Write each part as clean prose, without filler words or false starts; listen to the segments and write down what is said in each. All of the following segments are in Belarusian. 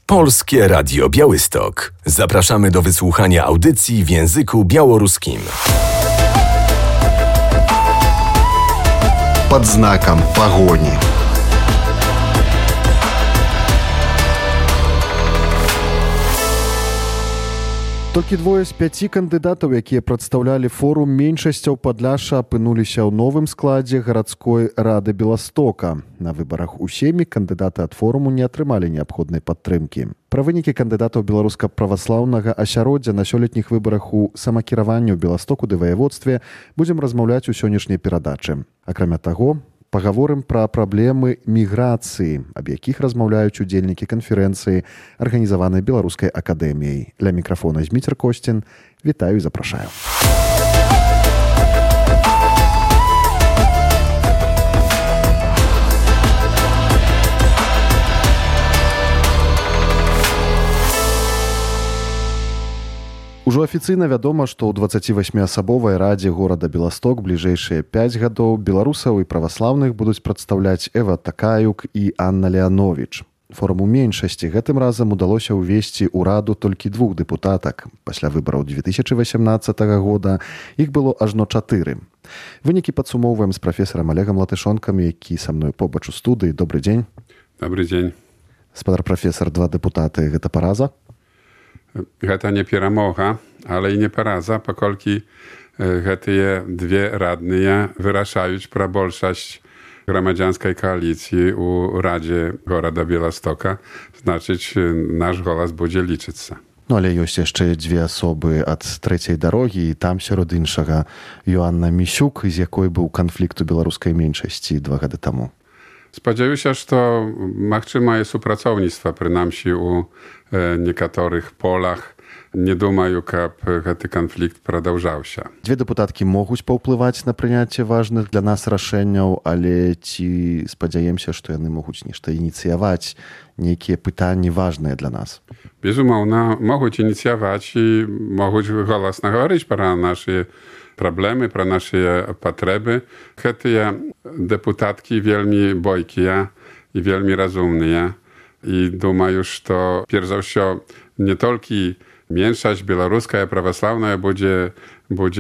Polskie Radio Białystok. Zapraszamy do wysłuchania audycji w języku białoruskim. Pod znakiem pogoni. Толькі двое з 5 кандыдатаў, якія прадстаўлялі форум меншасцяў Падляшша, апынуліся ў новым складзе гарадской рады Беластока. На выбарах у Сеймі кандыдаты ад форуму не атрымалі неабходнай падтрымкі. Пра вынікі кандыдатаў беларуска-праваслаўнага асяроддзя на сёлетніх выбарах у самакіраванні ў Беластоку ды ваяводстве будзем размаўляць у сённяшняй перадачы. Акрамя таго, пагаворым пра праблемы міграцыі, аб якіх размаўляюць удзельнікі канферэнцыі, арганізаванай Беларускай акадэміяй. Ля мікрафона Зміцер Косцін. Вітаю і запрашаю. Ужо афіцыйна вядома, што ў 28-асабовай радзе горада Беласток бліжэйшыя 5 гадоў беларусаў і праваслаўных будуць прадстаўляць Эва Такаюк і Анна Леанович. Форуму меншасці гэтым разам удалося ўвесці ў раду толькі 2 дэпутатак. Пасля выбараў 2018 года іх было ажно 4. Вынікі падсумоўваем з прафесарам Олегам Латышонкам, які са мной побач у студыі. Добры дзень. Добрый дзень. Спадар прафесар, 2 дэпутаты, гэта параза? Гэта не перамога, але і не параза, паколькі гэтыя 2 радныя вырашаюць пра большасць грамадзянскай кааліцыі ў радзе горада Беластока. Значыць, наш голас будзе лічыцца. Ну, але ёсць яшчэ 2 асобы ад трэцяй дарогі, і там сярод іншага Йоанна Місюк, з якой быў канфлікт у беларускай меншасці 2 гады таму. Спадзяюся, што магчымае супрацоўніцтва, прынамсі у некаторых полах. Не думаю, каб гэты канфлікт прадаўжаўся. 2 дэпутаткі могуць паўплываць на прыняцце важных для нас рашэнняў, але ці спадзяемся, што яны могуць нешта ініцыяваць, нейкія пытанні важныя для нас? Безумоўна, могуць ініцыяваць і могуць голасна гаварыць пра нашы праблемы, пра нашы патрэбы. Гэтыя дэпутаткі вельмі бойкія і вельмі разумныя. І думаю, што перш за ўсё не толькі меншасць беларуская, праваслаўная будзе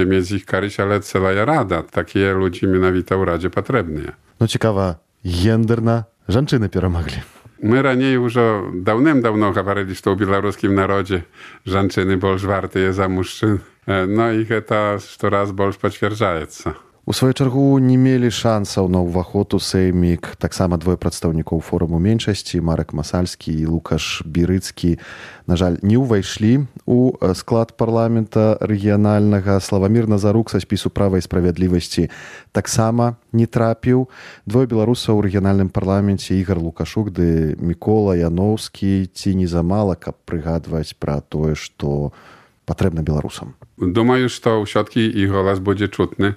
мець іх карысць, але цэлая рада. Такія людзі менавіта ў радзе патрэбныя. Ну, цікава, гендерна жанчыны перамаглі. Мы раней ужо даўным-даўно гаварылі, што ў беларускім народзе жанчыны больш вартыя за мужчын. Ну і гэта штораз больш пацвярджаецца. У сваю чаргу не мелі шансаў на ўваход у Сеймік таксама 2 прадстаўнікоў форуму меншасці, Марек Масальскі і Лукаш Бірыцкі. На жаль, не ўвайшлі ў склад парламента рэгіянальнага. Славамір Назарук са спісу права і справядлівасці таксама не трапіў. 2 беларусаў у рэгіянальным парламенце, Ігар Лукашук ды Мікола Яноўскі. Ці не замала, каб прыгадваць пра тое, што патрэбна беларусам? Думаю, што ўсё-ткі і голас будзе чутны,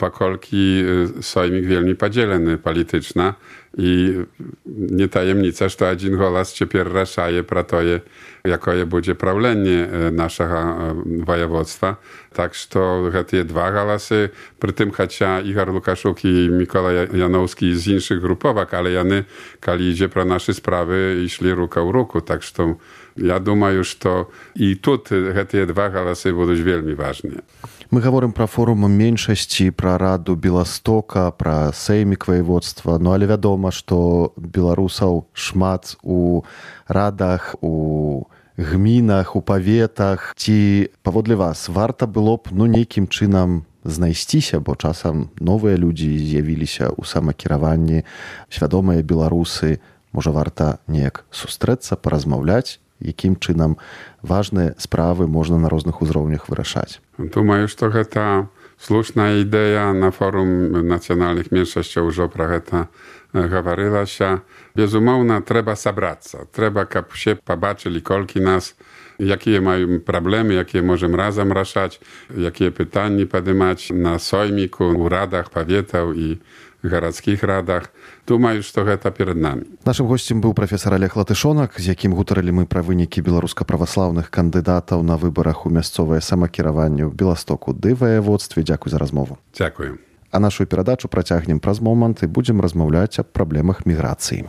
паколькі Соймік вельмі падзелены палітычна і не таемніца, што адзін голас цяпер рашае пра тое, якое будзе праўленне нашага ваяводства. Так што гэтыя 2 галасы, прытым хаця Ігар Лукашук і Мікола Яноўскі з іншых груповак, але яны, калі ідзе пра нашы справы, ішлі рука ў руку. Так што я думаю, што і тут гэтыя 2 галасы будуць вельмі важныя. Мы гаворым пра форум меншасці, пра раду Беластока, пра Сеймік ваяводства, ну але вядома, што беларусаў шмат у радах, у гмінах, у паветах. Ці, паводле вас, варта было б нейкім чынам знайсціся, бо часам новыя людзі з'явіліся ў самакіраванні, свядомыя беларусы. Можа, варта неяк сустрэцца, паразмаўляць, якім чынам важныя справы можна на розных узроўнях вырашаць? Думаю, што гэта слушная ідэя. На форум нацыянальных меншасцяў ужо пра гэта гаварылася. Безумоўна, трэба сабрацца. Трэба, каб усе пабачылі, колькі нас, якія маем праблемы, якія можам разам рашаць, якія пытанні падымаць на Сойміку, у радах паветаў і гарадскіх радах. Думаю, што гэта перад намі. Нашым госцем быў прафесар Олег Латышонак, з якім гутарылі мы пра вынікі беларуска-праваслаўных кандыдатаў на выбарах у мясцовае самакіраванне ў Беластоку ды ваяводстве. Дзякуй за размову. Дзякую. А нашу перадачу працягнем праз момант і будзем размаўляць аб праблемах міграцыі.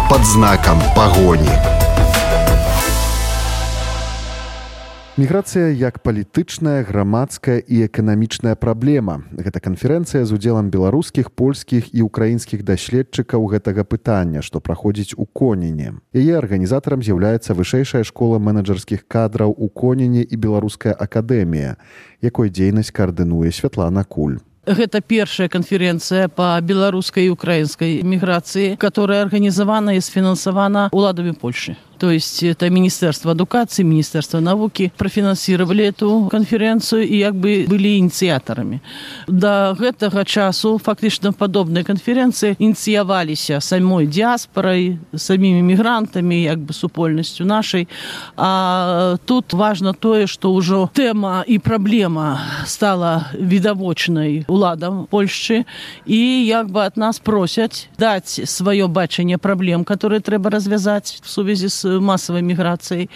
под знаком пагони. Міграцыя як палітычная, грамадская і эканамічная праблема. Гэта канферэнцыя з удзелам беларускіх, польскіх і украінскіх даследчыкаў гэтага пытання, што праходзіць у Коніне. Яе арганізатарам з'яўляецца Вышэйшая школа менеджерскіх кадраў у Коніне і Беларуская акадэмія, якой дзейнасць каардынуе Святлана Куль. Гэта першая канферэнцыя па беларускай і украінскай міграцыі, которая арганізавана і сфінансавана уладамі Польшы. То есть это Министерство эдукации, Министерство науки профинансировали эту конференцию и как бы были инициаторами. До гэтага часу фактично подобные конференции инициировались самой диаспорой, самими мигрантами, как бы супольностью нашей. А тут важно то, что уже тема и проблема стала видовочной уладам Польши, и как бы от нас просят дать свое бачение проблем, которые треба развязать в связи с массовой миграцией,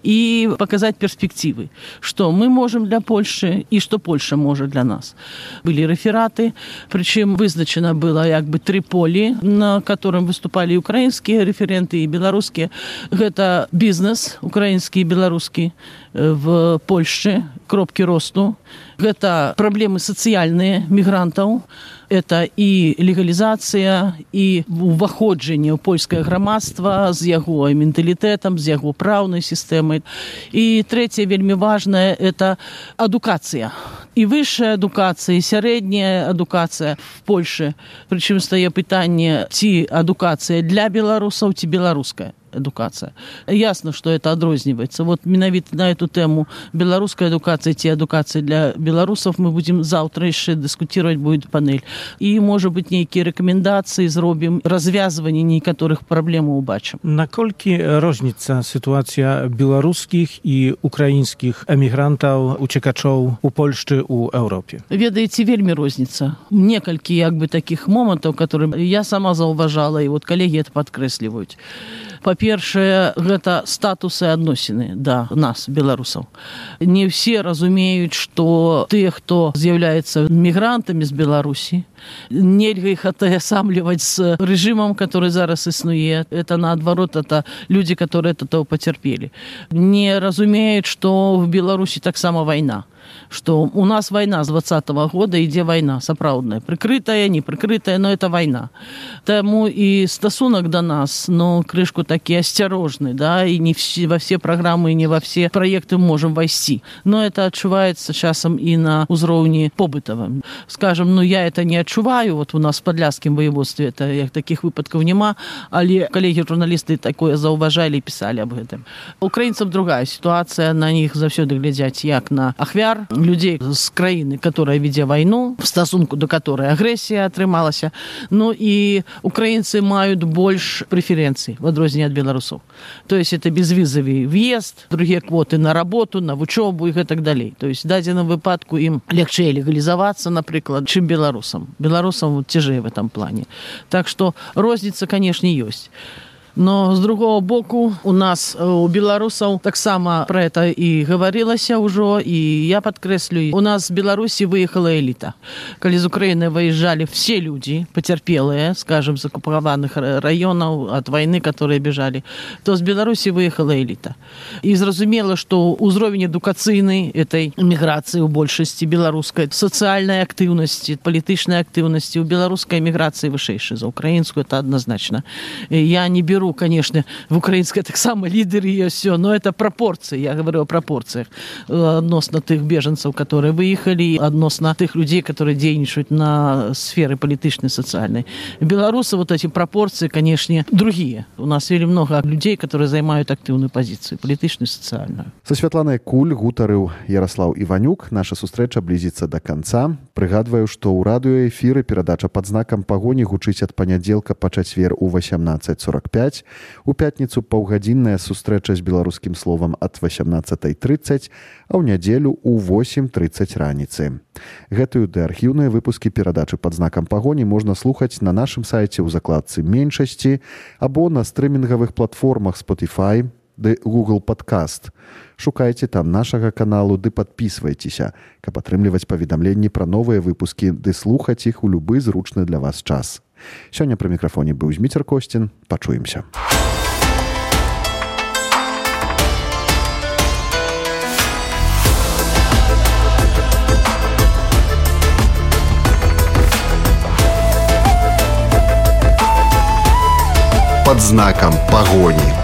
и показать перспективы, что мы можем для Польши и что Польша может для нас. Были рефераты, причем вызначено было как бы 3 полі, на котором выступали украинские референты и белорусские. Это бизнес, украинский и белорусский в Польше, кропки росту. Это проблемы социальные мигрантов. Это і легалізацыя, і ўваходжанне ў польскае грамадства з яго менталітэтам, з яго праўнай сістэмай. І трэцяе, вельмі важнае, это адукацыя. І высшая адукацыя, і сярэдняя адукацыя в Польшы. Прычым стае пытанне, ці адукацыя для беларусаў, ці беларуская эдукация. Ясно, что это отрознивается. Вот менавіта на эту тему белорусская эдукация, те адукации для белорусов мы будем завтра еще дискутировать, будет панель. И, может быть, некие рекомендации зробим, развязывание некоторых проблем убачим. Наколькі розніцца ситуация белорусских и украинских эмигрантов, уцекачоў у Польшчы, у Европе? Ведаеце, вельмі розніца. Некалькі, як бы, таких моментов, которые я сама заўважала, и вот коллеги это подкрэсліваюць. Па-першае, гэта статусы адносіны да нас, беларусаў. Не все разумеюць, што тыя, хто з'яўляецца мігрантамі з Беларусі, нельга іх атаясамліваць з рэжымам, который зараз існуе. Это наадварот, это люди, которые это потерпели. Не разумеюць, што в Беларусі таксама вайна. Что у нас война с 20-го года, ідзе война сапраўдная. Прикрытая, не прикрытая, но это война. Тому и стасунок до нас, но крышку таки осторожный, да, и не во все программы, и не во все проекты можем войти. Но это отчувается часом и на узроўні побытовым. Скажем, ну я это не отчуваю, вот у нас в Подляскім воеводстве это таких выпадков нема, але коллеги-журналисты такое заўважалі и писали об этом. Украинцам другая ситуация, на них заўсёды глядзяць як на ахвяр, людей з краіны, которая вядзе вайну, в стасунку до которой агрэсія атрымалася. Ну и украинцы маюць больш преференций в адрозненне ад беларусаў. То есть это безвизовый въезд, другие квоты на работу, на вучобу и так далее. То есть в дадзеным выпадку им легче легализоваться, например, чем белорусам. Белорусам тяжее в этом плане. Так что розница, конечно, есть. Но с другого боку у нас, у белорусов, так само про это и говорилось уже, и я подкреслю, у нас в Беларуси выехала элита. Когда из Украины выезжали все люди, потерпелые, скажем, с оккупированных районов от войны, которые бежали, то с Беларуси выехала элита. И зразумела, что узровень эдукацыйный этой миграции у большасці беларускай, социальной активности, политичной активности у белорусской миграции вышэйшая за украинскую, это однозначно. Я не беру, конечно, в украинской так само лидеры и все, но это пропорции, я говорю о пропорциях относно тех беженцев, которые выехали, относно тех людей, которые дейничают на сфере политичной, социальной. Белорусы, вот эти пропорции, конечно, другие. У нас вельмі много людей, которые займают активную позицию, политичную, социальную. Со Святланай Куль гутарыў Ярослав Іванюк. Наша сустрэча блізіцца да канца. Прыгадваю, што ў радыёэфіры перадача пад знакам пагоні гучыць ад панядзелка па чацвер у 18:45. У пятніцу паўгадзінная сустрэча з беларускім словам ад 18:30, а ў нядзелю у 8:30 раніцы. Гэтую ды архіўныя выпускі перадачы пад знакам пагоні можна слухаць на нашым сайце ў закладцы меншасці або на стрымінгавых платформах Spotify ды Google Podcast. Шукайце там нашага каналу ды падпісвайцеся, каб атрымліваць паведамленні пра новыя выпускі ды слухаць іх у любы зручны для вас час. Сёння пры мікрафоне быў Зміцер Косцін. Пачуемся. Под знаком погони.